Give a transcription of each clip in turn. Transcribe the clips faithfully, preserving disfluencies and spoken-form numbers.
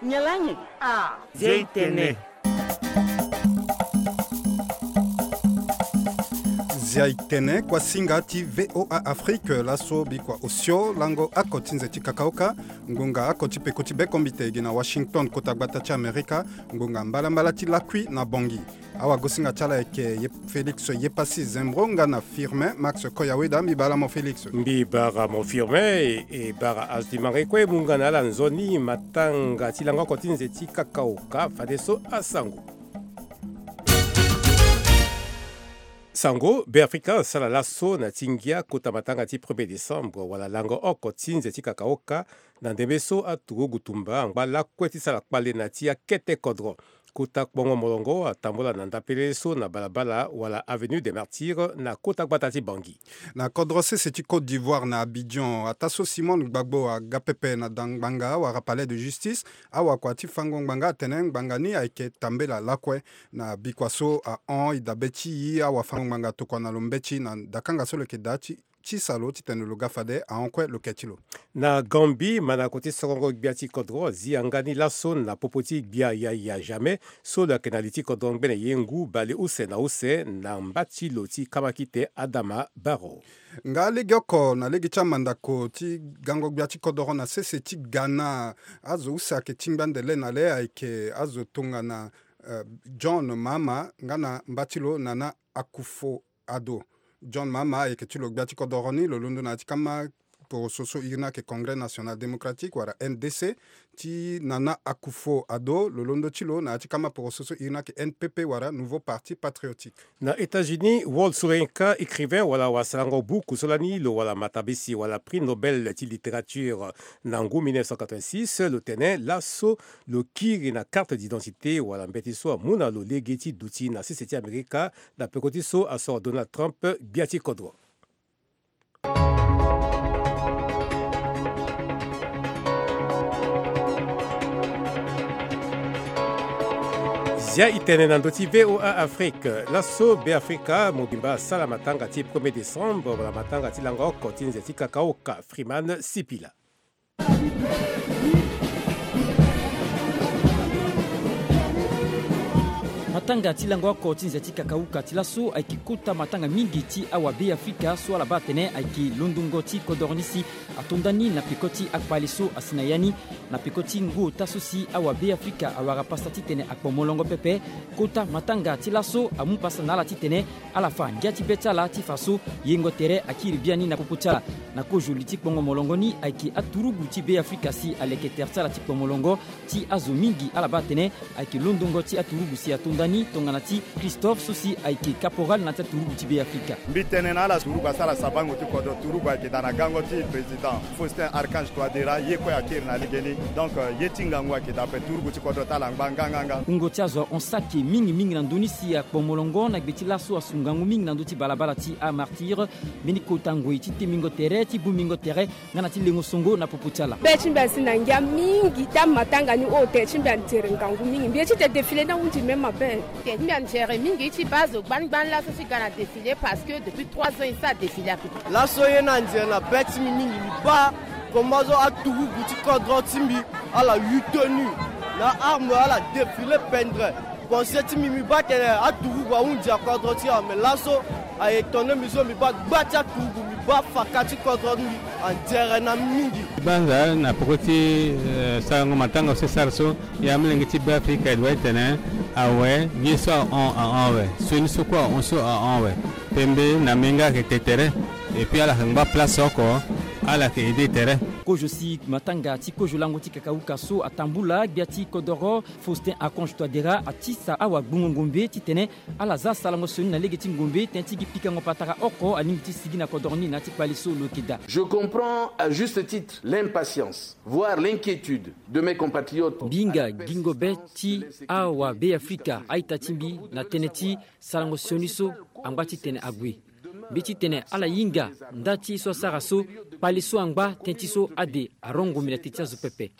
Nyalange. Ah. Zia itene. Zia itene, kuasinga ti V O A Afrique, laso bikua osio lango oko ti nze ti kakaoka, ngbonga oko ti peko ti bekombite gi na Washington, kota gbata ti Amerika, ngbonga mbalambala ti lakui na Bangui. Awagosinga ti ala ayeke ye Félix Yepassi Zembro nga na Firmin Max Koyaweda. Mbi bara mo Félix. Mbi bara mo Firmin, e, e bara azo ti manga e kue mu nga na ala nzoni matanga ti lango oko ti nze ti kakaoka fadeso asango. Sango, Beafrika asara laso na ti ngia kota matanga ti premier décembre wala lango oko ti nze ti kakaoka, na ndembe so aturugu tumba angba lakue ti sara kpale na ti akete kodro. Kota kpongo molongo atambula na ndapele so na balabala wala Avenue des Martyrs na kota gbata ti Bangui. Na kodro sese ti Côte d'Ivoire na Abidjan, ataa so Simone Gbagbo aga pepe na da ngbanga wala Palais de Justice, awakua ti fango ngbanga atene ngbanga ni ayeke tambela lakue. Na bikua so ahon e dabe ti e, awafango ngbanga atokua na lo mbeti na dakanga so lo yeke daa ti ti salo titene lo ga fade ahon kue lo ke ti lo. Na Gambie, mandako ti sorongo gbia ti kodro azi yanga ni laso na popo ti gbia yaya Jammeh so lo yeke na li ti kodro ngbene ye ngu bale use na use na mba ti lo ti kamakite Adama Barrow. Nga legeoko na lege ti amandako ti gango gbia ti kodoro na sese ti Ghana, azo use ayeke tingbi ande le na le ayeke azo tongana, eh, John Mahama nga na mba ti lo Nana Akufo-Addo. John Mahama ayeke ti lo gbia ti kodoro ni, lo londo na ya ti kama poroso so iri ni ayeke Congrès National Démocratique wala N D C, ti Nana Akufo-Addo lo londo ti lo na ya ti kama poroso so iri ni ayeke N P P wala Nouveau Parti Patriotique. Na États-Unis, Walt Soyinka, écrivain wala wasalango buku so lani lo wala matabisi wala prix Nobel ti littérature na ngu mille neuf cent quatre-vingt-six, lo tene laso lo kiri na carte d'identité wala mbeti so amu na lo lege ti duti na sese ti Amerika na peko ti so asoro Donald Trump gbia ti kodro. Zia itene na ndö ti V O A Afrique. Laso Beafrika mobimba asara matanga ti premier décembre wala matanga ti lango oko ti nze ti kakaoka. Freeman Sipila. Matanga ti lango oko ti nze ti kakauka ti laso ayeke kota matanga mingi ti awabeafrika so ala baa atene ayeke londongo ti kodoro ni si ato nda ni na peko ti akpale so asi na ya ni. Na peko ti ngu ota so si awabeafrika awara pasa titene akpo molongo pepe, kota matanga ti laso amu pasa na ala titene ala fa ngia ti be ti ala ti fa so yengo tere akiri biani na popo ti ala. Na kozo li ti kpongo molongo ni ayeke aturugu ti Beafrika si aleke tere ti ala ti kpo molongo ti azo mingi ala baa atene ayeke londongo ti aturugu si ato nda ni tongana ti Christophe so si ayeke caporal na ya ti aturugu ti Beafrika. Mbi tene na ala turugu asara sabango ti kodro, turugu ayeke daa na gango ti président Faustin Archange Touadéra, ye kue akiri na legeni. Donc, euh, ye ti ngangu ayeke daa ape, turugu ti kodro ti ala angba nganganga. Wungo ti azo ahon saki mingi mingi na ndö ni si akpo molongo na gbe ti laso asu ngangu mingi na ndö ti balabala ti amartyr. Mbeni kota ngoi ti tembingo tere ti bongbingo tere nga na ti lengo songo na popo ti ala. Be ti mbi asi na ngia mingi ti amatanga ni, o tere ti mbi anzere ngangu mingi. Mbi ye ti te défilé ni ahunzi même mabe. Tere ti mbi anzere mingi ti baa azo gbani gbani laso ti ga na défilé parce que depuis trois ans e sara défilé ape. Laso ye ni anzere na be ti mbi mingi, mbi baa comment so aturugu ti kodro ti mbi ala yu tenue na arme ala défilé pendre. Pensée ti mbi, mbi baa tene aturugu ahunzi akodro ti ala, me laso aye tongana mbi so mbi baa gba ti aturugu, mbi baa faka ti kodro ti mbi anzere na mingi. Banza na peko ti, eh, sarango matanga so e sara so, ya molenge ti Beafrika e doit tene awe, ye so ahon ahon awe, sioni so kue ahon so ahon awe. Pembe na menga ayeke te tere. Et puis ala yeke ngba place oko, ala yeke aidé tere. Kozo si matanga ti kozo lango ti kakauka so atambula, gbia ti kodoro Faustin Archange Touadéra atisa awagbongo ngombe titene ala za sarango sioni na lege ti ngombe tënë ti gi pikango patara oko alingbi ti sigi na kodoro ni na ya ti kpale so lo yeke daa. Je comprends à juste titre l'impatience, voire l'inquiétude de mes compatriotes. Mbi hinga gingo be ti awabeafrika a-ita ti mbi na tënë ti sarango sioni so angba titene ague. Mbi titene ala hinga nda ti ye so asara so, kpale so angba tënë ti so ade arongo mbi na teti azo pepe.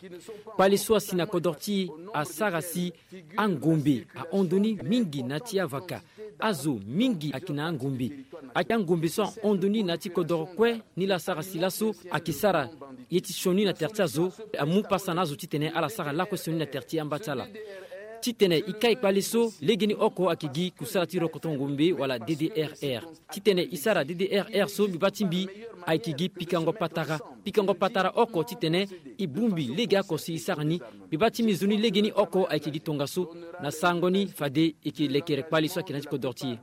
Kpale so asi na kodro ti e asara si angombe ahon ndoni mingi na ya ti avaka. Azo mingi ayeke na angombe. Ayeke angombe so ahon ndoni na ya ti kodoro kue. Ni laa asara si laso ayeke sara Ye ti sioni na tere ti azo amu pasa na azo titene ala sara lakue sioni na tere ti amba ti ala. Titene e kai kpale so, legeni oko ayeke gi kusala ti rokoto ngombe wala D D R R. Titene e sara D D R R so, mbi baa ti mbi ayeke gi pikango patara. Pikango patara oko titene e bongbi legeoko si e sara ni. Mbi baa ti mbi nzoni legeni oko ayeke gi tongaso. Na sarango ni fade e yeke lekere kpale so ayeke na ya ti kodro ti e.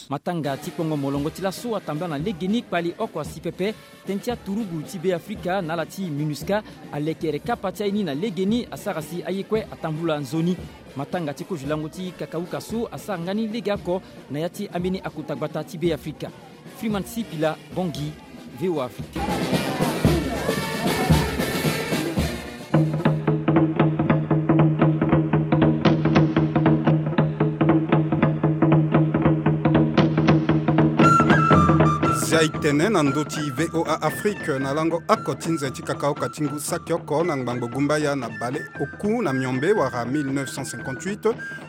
Matanga ti kpongo molongo ti laso atambula na legeni kpale oko asi pepe. Tënë ti aturugu ti Beafrika na ala ti MINUSCA alekere kapa ti aye ni na legeni asara si aye kue atambula nzoni. Matanga ti kozo lango ti kakauka so asara nga ni legeoko na ya ti ambeni akota gbata ti Beafrika. Freeman Sipila, Bangui, V O A Afrique. Zia e tene na ndö ti V O A Afrique na lango oko ti nze ti kakaoka ti ngu saki oko na ngbangbo gumbaya na bale oku na miombe wala mille neuf cent cinquante-huit,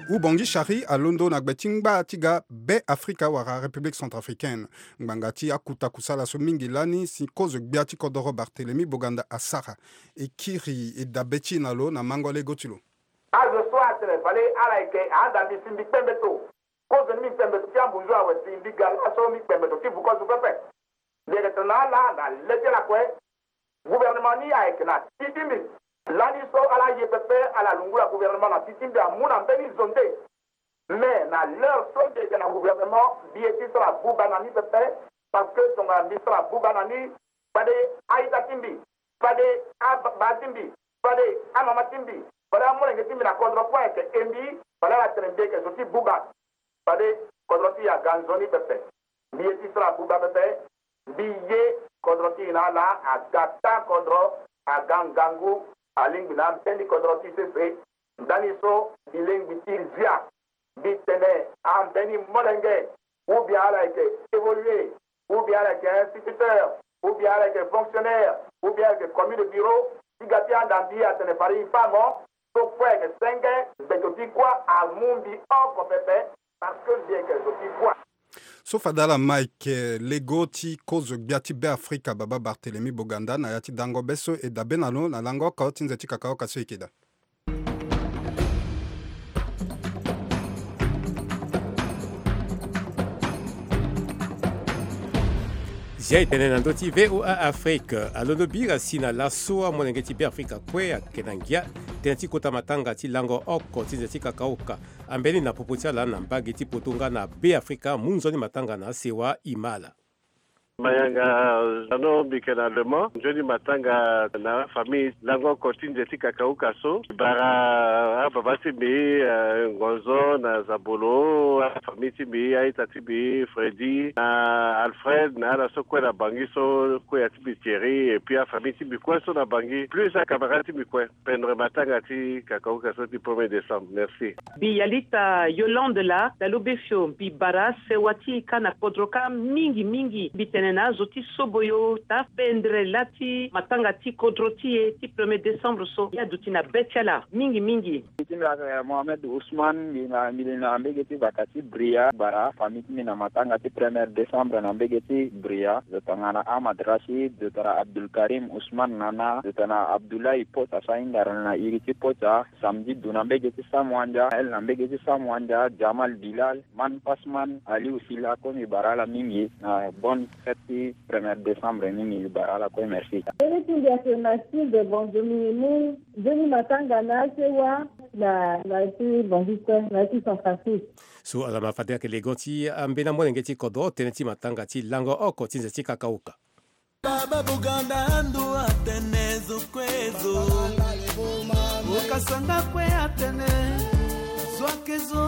Ubongi Shari alondo na gbe ti ngba ti ga Beafrika wala République centrafricaine. Ngbanga ti akuta kusala so mingi lani si kozo gbia ti kodoro Barthélemy Boganda asara. E kiri e dabe ti e na lo na mango lego ti lo. Azo so atene fade ala yeke ahanda mbi si mbi kpe mbeto. Kozo ni mbi kpe mbeto ti ambunzu awe si mbi ga laso mbi kpe mbeto ti vu kozo pepe. Mbi yeke tene na ala na le ti ala kue. Gouvernement ni ayeke na ti ti mbi. Lani so ala ye pepe ala lungula gouvernement na ti ti mbi amu na mbeni zo nde. Mais na l'heure so mbi yeke na gouvernement, mbi ye ti sara buba na ni pepe, parce que tongana mbi sara buba na ni, fade a-ita ti mbi, fade ababa ti mbi, fade amama ti mbi, fade amolenge ti mbi na kodro kue ayeke e mbi, fade ala tene mbi yeke zo ti buba. Fade kodro ti e aga nzoni pepe. Mbi ye ti sara buba pepe. Mbi ye kodro ti e na ala aga taa kodro, aga ngangu, alingbi na ambeni kodro ti sese. Ndani so mbi lingbi ti zia. Mbi tene ambeni molenge, ou bien ala yeke évoluer, ou bien ala yeke instituteur, ou bien ala yeke fonctionnaire, ou bien ala yeke commis de bureau, ti ga ti handa mbi atene fade e fa mo. So kue ayeke senge, mbeto ti kuâ amu mbi oko pepe, parce que mbi yeke zo ti kuâ. So fade ala ma yeke lego ti kozo gbia ti Beafrika baba Barthélemy Boganda na ya ti dango be so e dabe na lo na lango oko ti nze ti kakaoka so e yeke daa. Zia e tene na ndö ti V O A Afrique, alondo bira si na laso amolenge ti Beafrika kue ayeke na ngia tënë ti kota matanga ti lango oko ti nze ti kakaoka. Ambeni na popo ti ala na mbage ti poto nga na Beafrika, mu nzoni matanga na asewa e ma ala. Mayanga Zano, mbi yeke na Le Mans. Nzoni matanga na afamille lango oko ti nze ti kakauka so. Bara ababa ti mbi, eh, Ngonzo na Zabolo, afamille ti mbi, a-ita ti mbi, Freddy, na Alfred, na ala so kue na Bangui so, kuya ti mbi Thierry, et puis afamille ti mbi kue so na Bangui, plus acamarade ti mbi kue. Pendre matanga ti kakauka so ti premier décembre. Merci. Mbi Yalita Yolande laa, Dalo Befio, mbi bara sewa ti e kâ na kodro kâ mingi mingi. Mbi tene na azo ti Soboyo ta pendre lâ ti matanga ti kodro ti e ti premier décembre so. Ye aduti na be ti ala mingi mingi. Mbi ti mbi ayeke Mohamed Ousmane, mbi na, mbi li na mbege ti vaka ti Bria, bara famille ti mbi na matanga ti premier décembre na mbege ti Bria. Zo tongana Ahmad Rachid, zo tongana Abdul Karim Ousmane Nana, zo tongana Abdoulaye Pota, so ahindere na iri ti Pota. Samedi Du na mbege ti Samuandia, El na mbege ti Samuandia, Jamal Bilal, Man Pasman, Aliou Silla, kue mbi bara ala mingi na bonne fête ti premier décembre ni, mbi bara ala kue, merci. Mbeni ti mbi ayeke Mathilde Bonzo, mbi mu nzoni matanga na asewa na, na ya ti Bangui kue, na ya ti Centrafrique. So ala ma fade ayeke lego ti ambeni amolenge ti kodro tënë ti matanga ti lango oko ti nze ti kakauka. Baba Boganda ando atene zo kue zo. Okasanga kue atene zo ayeke zo.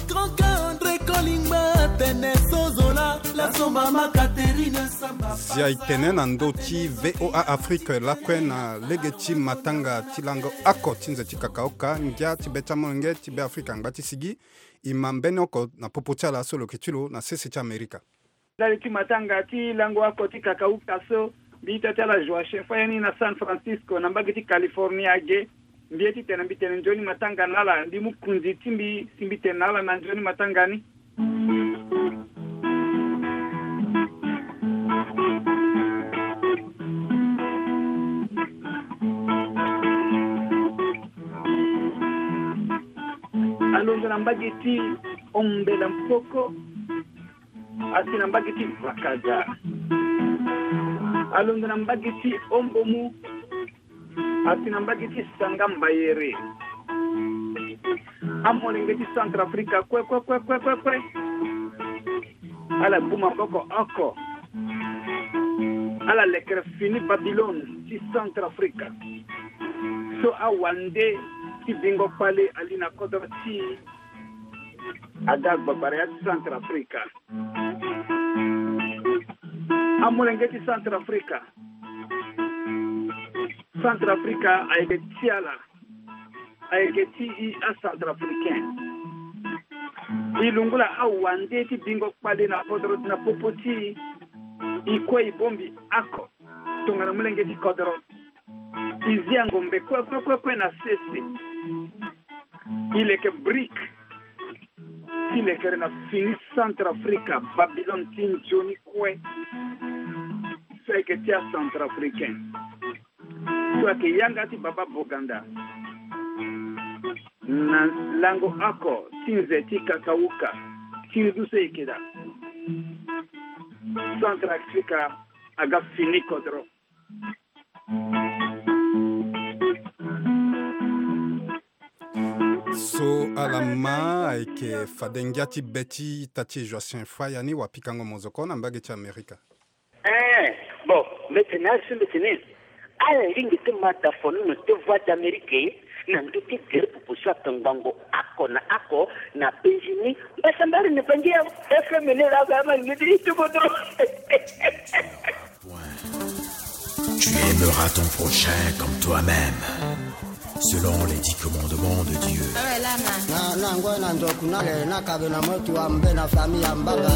Grand André Kolingba atene so zo laa, laso mama Catherine Samba. Zia e tene na ndö ti V O A Afrique lakue na lege ti matanga ti lango oko ti nze ti kakaoka, ngia ti be ti amolenge ti Beafrika angba ti sigi. E ma mbeni oko na popo ti ala so lo yeke ti lo na sese ti Amerika. Ndali ti matanga ti lango oko ti kakauka so, mbi ita ti ala Joachim Fayeni na San Francisco na mbage ti Californie age. Mbi ye ti tene mbi tene nzoni matanga na ala, mbi mu kunzi ti mbi si mbi tene na ala na nzoni matanga ni. Alondo na mbage ti Ombela Mpoko, asi na mbage ti Vakaza. Alondo na mbage ti Ombomu, asi na mbage ti Sanga Mbayere. Amolenge ti Centrafrique, kue, kue, kue, kue, kue, kue. Ala bu maboko oko. Ala lekere fini Babylone ti Centrafrique. So awande ti bingo kpale ali na kodro ti aga gbagbara ya ti Centrafrique. Amolenge ti Centrafrique. Centrafrique ayeke ti ala. Ayeke ti i aCentrafricain. I lungula awande ti bingo kpale na kodro na popo ti i. I kue i bongbi oko tongana molenge ti kodro. I zi angombe kue, kue, kue, kue na sese. I leke brique. Ti lekere na fini Centrafrique, Babylone ti nzoni kue. So ayeke ti aCentrafricain. So ayeke yanga ti Baba Boganda. Na lango oko ti nze ti kakauka ti ndu so e yeke daa. Centrafrique aga fini kodro. So ala ma ayeke fade ngia ti be ti ita ti Joachin Faya ni wapikango mozoko na mbage ti Amerika. Eh, bon, mbeti na asi mbeti ni. Ala lingbi ti ma da fono na te Voix d'Amérique na ndö ti gere popo so ato ngbongo oko na oko na penzi ni. Mbasambari na bangi ya F M ni la ga ma ni ti ito kodro. Tu aimeras ton prochain comme toi-même, selon les dix commandements de Dieu. Na, na ngoi na nzoku na le, na kabe na motu wa mbe na famille ya mbanga.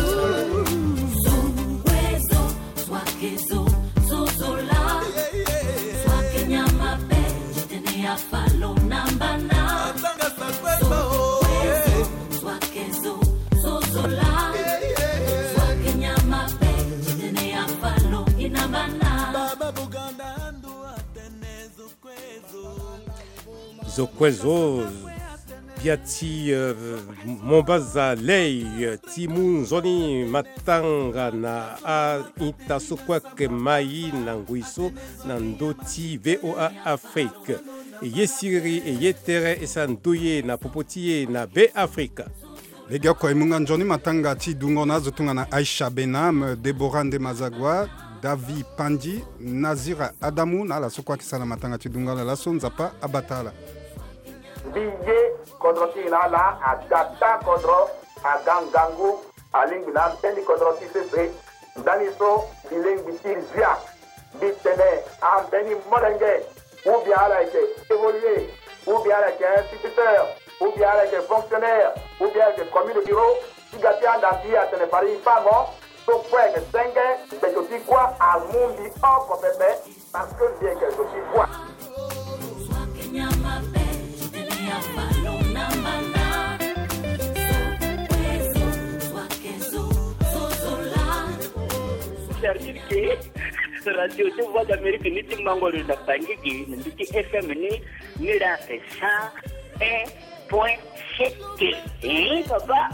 Zo kue zo, bia ti, eh, mombaza lei, eh, ti mu nzoni matanga na a-ita so kue ayeke mai na ngoi so na ndö ti V O A Afrique. E ye siriri, e ye tere, e sara ndö ye na popo ti e na Be Afrika. Legeoko e mu nga nzoni matanga ti dungo na azo tongana Aisha Benam, Deborah Ndemazagua, Davi Pandi, Nazira Adamu na ala so kue ayeke sara na matanga ti dungo ala laso, Nzapa abata ala. Mbi ye kodro ti e na ala aga taa kodro, aga ngangu, alingbi na ambeni kodro ti sese. Ndani so mbi lingbi ti zia, mbi tene ambeni molenge, ou bien ala yeke évoluer, ou bien ala yeke instituteur, ou bien ala yeke fonctionnaire, ou bien ala yeke commis de bureau, ti ga ti anda mbi atene fade e fa mo so kue ayeke senge, gbeto ti kuâ amu mbi oko pepe. Parce que mbi yeke zo ti kuâ. C'est-à-dire que radio ti Voix d'Amérique ni ti mango lo na Bangui gi na ndö ti F M ni, ni la c'est cent un point sept. Eh, papa.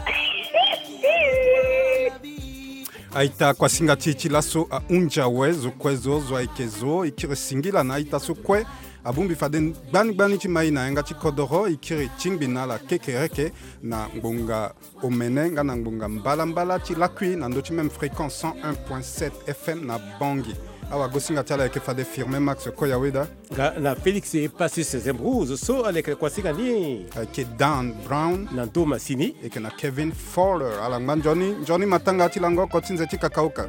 A-ita kuasinga ti e ti laso ahunzi awe. Zo kue zo, zo ayeke zo, e kiri singila na a-ita so kue abongbi fade gbani gbani ti mai na yanga ti kodoro, e kiri tingbi na ala kekereke na ngbonga omene nga na ngbonga mbalambala ti lakui na ndö ti même fréquence cent un point sept F M na Bangui. Awagosinga ti ala ayeke fade Firmin Max Koyaweda. Nga na Félix Epasis Zembrouz so alekere kuasinga ni. Ayeke Dan Brown. Na ndö masini. Eke na Kevin Fowler. Ala ngba nzoni, nzoni matanga ti lango oko ti nze ti kakauka.